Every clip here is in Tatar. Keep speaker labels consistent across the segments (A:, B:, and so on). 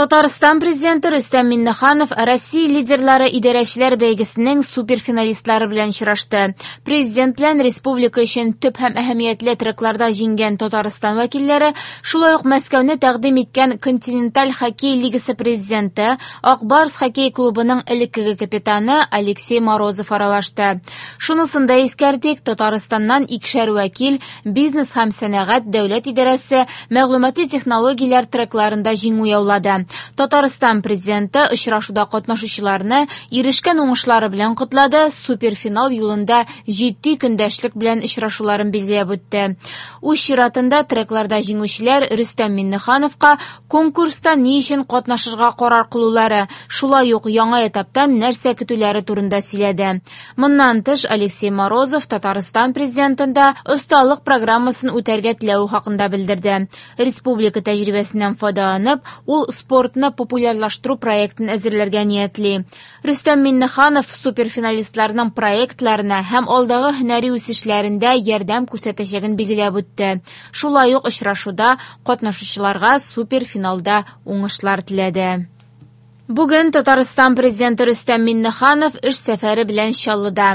A: Татарстан Президенты Рөстәм Миңнеханов Россия лидерлары идарәчеләр бәйгесенең суперфиналистлары белән очрашты. Президент белән республика өчен төп һәм әһәмиятле трекларда җиңгән Татарстан вәкилләре, шулай ук Мәскәүне тәкъдим иткән Континенталь хоккей лигасы президенты, Ак Барс хоккей клубының элеккеге капитаны Алексей Морозов аралашты. Шунысын да искәртик, Татарстаннан икешәр вәкил Бизнес һәм сәнәгать дәүләт идарәсе мәгълүмати технологияләр трекларында җиңү яулады. Татарстан Президенты очрашуда катнашучыларны ирешкән уңышлары белән котлады, суперфинал юлында җитди көндәшлек белән очрашуларын билгеләп үтте. Үз чиратында трекларда җиңүчеләр Рөстәм Миңнехановка конкурста ни өчен катнашырга карар кылулары, шулай ук яңа этаптан нәрсә көтүләре турында сөйләде. Моннан тыш, Алексей Морозов Татарстан Президентында осталык программасын үтәргә теләве хакында белдерде. Республика тәҗрибәсеннән файдаланып, ул спортны популярлаштыру проектын әзерләргә ниятли. Рөстәм Миңнеханов суперфиналистларның проектларына һәм алдагы һөнәри үсешләрендә ярдәм күрсәтәчәген билгеләп үтте. Шулай ук очрашуда катнашучыларга суперфиналда уңышлар теләде. Бүген Татарстан Президенты Рөстәм Миңнеханов эш сәфәре белән Чаллыда.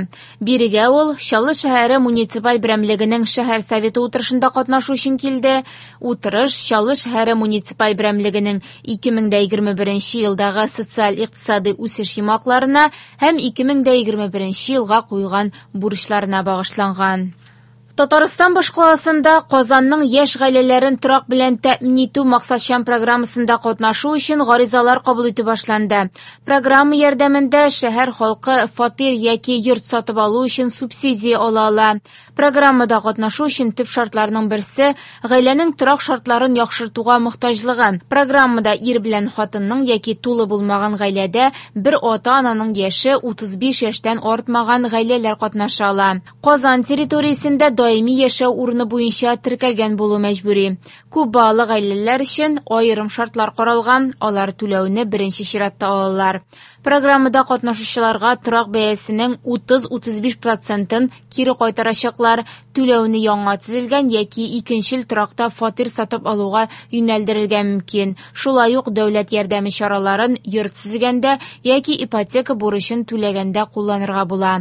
A: Бирегә ул Чаллы шәһәре муниципаль берәмлегенең шәһәр советы утырышында катнашу өчен килде. Утырыш Чаллы шәһәре муниципаль берәмлегенең 2021 елдагы социаль-икътисадый үсеш йомгакларына һәм 2021 елга куелган бурычларына багышланган. Татарстан башкаласында Казанның яшь гаиләләрен торак белән тәэмин итү максатчан программасында катнашу өчен гаризалар кабул итү башланды. Программа ярдәмендә шәһәр халкы фатир яки йорт сатып алу өчен субсидия ала ала. Программада катнашу өчен төп шартларның берсе гаиләнең торак шартларын яхшыртуга мохтаҗлыгы. Программада ир белән хатынның яки тулы булмаган гаиләдә бер ата-ананың яше 35 яшьтән артмаган гаиләләр катнаша ала. Казан территориясендә даими яшәү урыны буенча теркәлгән булу мәҗбүри. Күп балалы гаиләләр өчен аерым шартлар каралган, алар түләүне беренче чиратта алалар. Программада катнашучыларга торак бәясенең 30-35 процентын кире кайтарачаклар, түләүне яңа төзелгән яки икенчел торакта фатир сатып алуга юнәлдерергә мөмкин. Шулай ук дәүләт ярдәме чараларын йорт төзегәндә яки ипотека бурычын түләгәндә кулланырга була.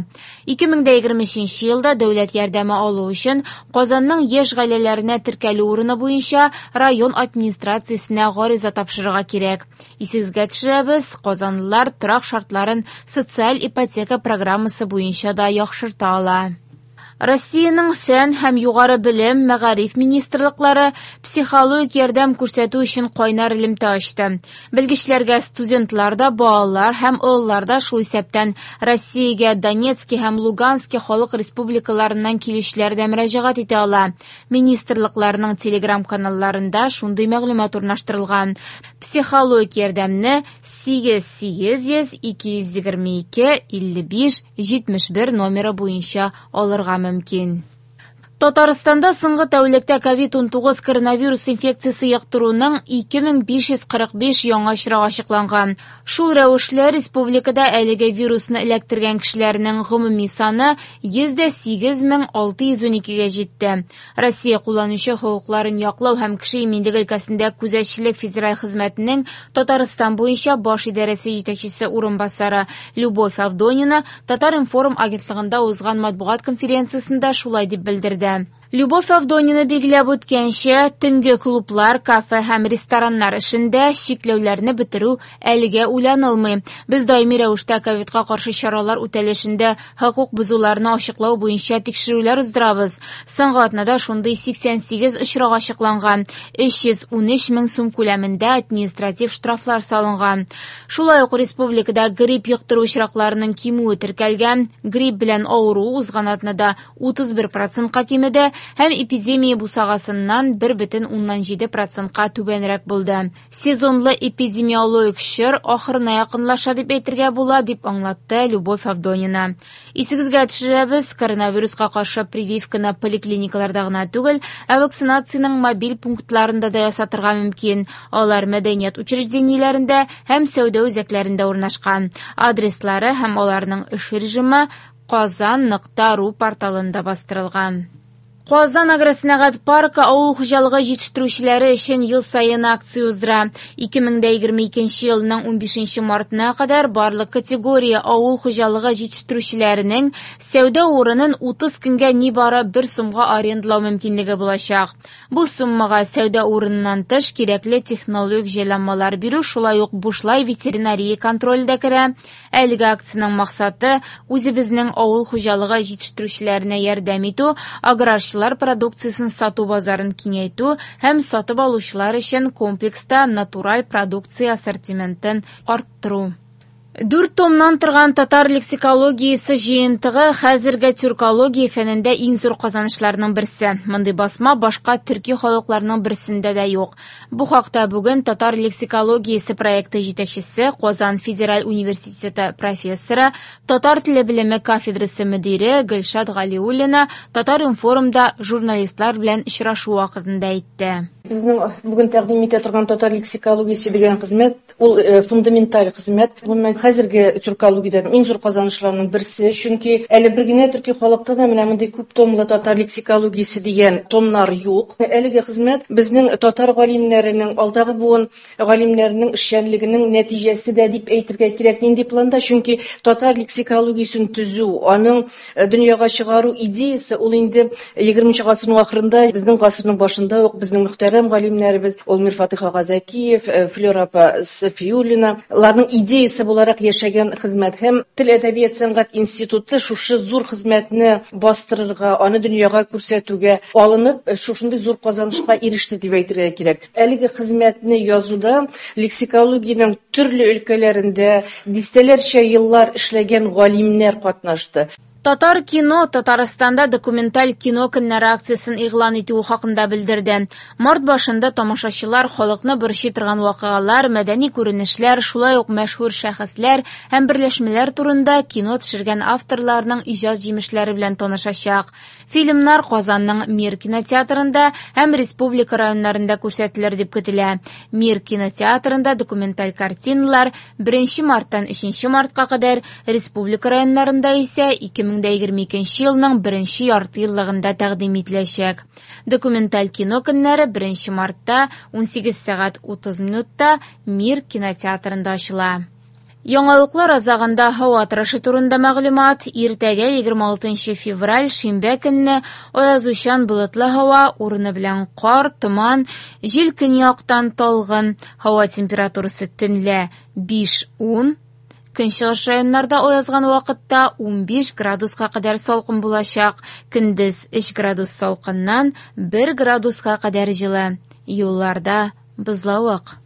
A: 2023 елда дәүләт ярдәме алу өчен Казанның яшь гаиләләренә теркәлү урыны буенча район администрациясенә гариза тапшырырга кирәк. Исегезгә төшерәбез, казанлылар торак шартларын социаль ипотека программасы буенча да яхшырта ала. Россиянең фән һәм югары белем, мәгариф министрлыклары психологик ярдәм күрсәтү өчен кайнар элемтә ачты. Белгечләргә студентлар да, балалар һәм олылар да, шул исәптән Россиягә Донецки һәм Лугански халык республикаларыннан килүчеләр дә мөрәҗәгать итә ала. Министрлыкларның телеграм-каналларында шундый мәгълүмат урнаштырылган. Психологик ярдәмне 8 800 222 55 71 номеры буенча алырга мөмкин. Татарстанда соңгы тәүлектә COVID-19 коронавирус инфекциясе йоктыруның 2545 яңа очрагы ачыкланган. Шул рәвешле республикада әлеге вирусны эләктергән кешеләрнең гомуми саны 108 612-гә җитте. Россия кулланучы хокукларын яклау һәм кеше иминлеге өлкәсендә күзәтчелек федераль хезмәтенең Татарстан буенча баш идарәсе җитәкчесе урынбасары Любовь Авдонина Татар-информ агентлыгында узган матбугат конференциясендә шулай дип белдерде. Любовь Авдонина билгеләп үткәнчә, төнге клублар, кафе һәм рестораннар эшендә чикләүләрне бетерү әлегә уйланылмый. Без даими рәвештә ковидка каршы чаралар үтәлешендә хокук бозуларны ачыклау буенча тикшерүләр уздырабыз. Соңгы атнада шундый 88 очрак ачыкланган, 313 мең сум күләмендә административ штрафлар салынган. Шулай ук республикада грипп йоктыру очракларының кимүе теркәлгән. Грипп белән авыру узган атнада 31 процентка кимеде һәм эпидемия бусагасыннан 1,7 процентка түбәнрәк булды. Сезонлы эпидемиологик чор ахырына якынлаша дип әйтергә була, дип аңлатты Любовь Авдонина. Исегезгә төшерәбез, коронавируска каршы прививканы поликлиникаларда гына түгел, ә вакцинациянең мобиль пунктларында да ясатырга мөмкин. Алар мәдәният учреждениеләрендә һәм сәүдә үзәкләрендә урнашкан. Адреслары һәм аларның эш режимы казан нокта ру порталында бастырылган. Казан агросәнәгать паркы авыл хуҗалыгы җитештерүчеләре өчен ел саен акция уздыра. 2022 елның 15 мартына кадәр барлык категория авыл хуҗалыгы җитештерүчеләренең сәүдә урынын 30 көнгә нибары 1 сумга арендалау мөмкинлеге булачак. Бу суммага сәүдә урыныннан тыш кирәкле технологик җайланмалар бирү, шулай ук бушлай ветеринария контроле дә керә. Әлеге акциянең максаты үзебезнең авыл хуҗалыгы җитештерүчеләренә ярдәм итү, аграрчылар продукциясен сату базарын киңәйтү һәм сатып алучылар өчен комплекста натураль продукция ассортиментын арттыру. 4 томнан торган татар лексикологиясе җыентыгы хәзерге тюркология фәнендә иң зур казанышларның берсе. Мондый басма башка төрки халыкларның берсендә дә юк. Бу хакта бүген татар лексикологиясе проекты җитәкчесе, Казан федераль университеты профессоры, татар теле белеме кафедрасы мөдире Гөлшат Галиуллина Татар-информда журналистлар белән очрашу вакытында әйтте.
B: Безнең бүген тәкъдим итә торган татар лексикологиясе дигән хезмәт, ул фундаменталь хезмәт. Гомумән, хәзерге тюркологиядә иң зур казанышларның берсе, чөнки әле бер генә төрки халыкта да менә мондый күп томлы татар лексикологиясе дигән томнар юк. Әлеге хезмәт безнең татар галимнәренең, алдагы буын галимнәренең эшчәнлегенең нәтиҗәсе дә дип әйтергә кирәк. Нинди планда? Чөнки татар лексикологиясен төзү, аның дөньяга чыгару идеясы ул инде 20 гасырның ахырында, безнең гасырның башында ук безнең мөхтәрәм галимнәребез ул Мирфатыйх ага Зәкиев, Флера апа Сафиуллина, аларның идеясы буларак яшәгән хезмәт. Һәм Тел, әдәбият, сәнгать институты шушы зур хезмәтне бастырырга, аны дөньяга күрсәтүгә алынып, шушындый зур казанышка иреште дип әйтергә кирәк. Әлеге хезмәтне язуда лексикологиянең төрле өлкәләрендә дистәләрчә еллар эшләгән галимнәр катнашты.
A: Татар кино Татарстанда документаль кино көннәре акциясен игълан итүе хакында белдерде. Март башында тамашачылар халыкны борчый торган вакыйгалар, мәдәни күренешләр, шулай ук мәшһүр шәхесләр һәм берләшмәләр турында кино төшергән авторларның иҗат җимешләре белән танышачак. Фильмнар Казанның Мир кинотеатрында һәм республика районнарында күрсәтелер дип көтелә. Мир кинотеатрында документаль картиналар 1 марттан 3 мартка кадәр, республика районнарында исә 2022 елның беренче яртыеллыгында тәкъдим ителәчәк. Документаль кино көннәре 1 мартта 18 сәгать 30 минутта Мир кинотеатрында ачыла. Яңалыклар азагында һава торышы турында мәгълүмат. Иртәгә 26 февраль шимбә көнне аязучан болытлы һава, урыны белән кар, томан, җил көньяктан талгын, һава температурасы төнлә 5-10, көнчыгыш районнарда аязган вакытта 15 градуска кадәр салкын булачак, көндез 3 градус салкыннан 1 градуска кадәр җылы. Юлларда бозлавык.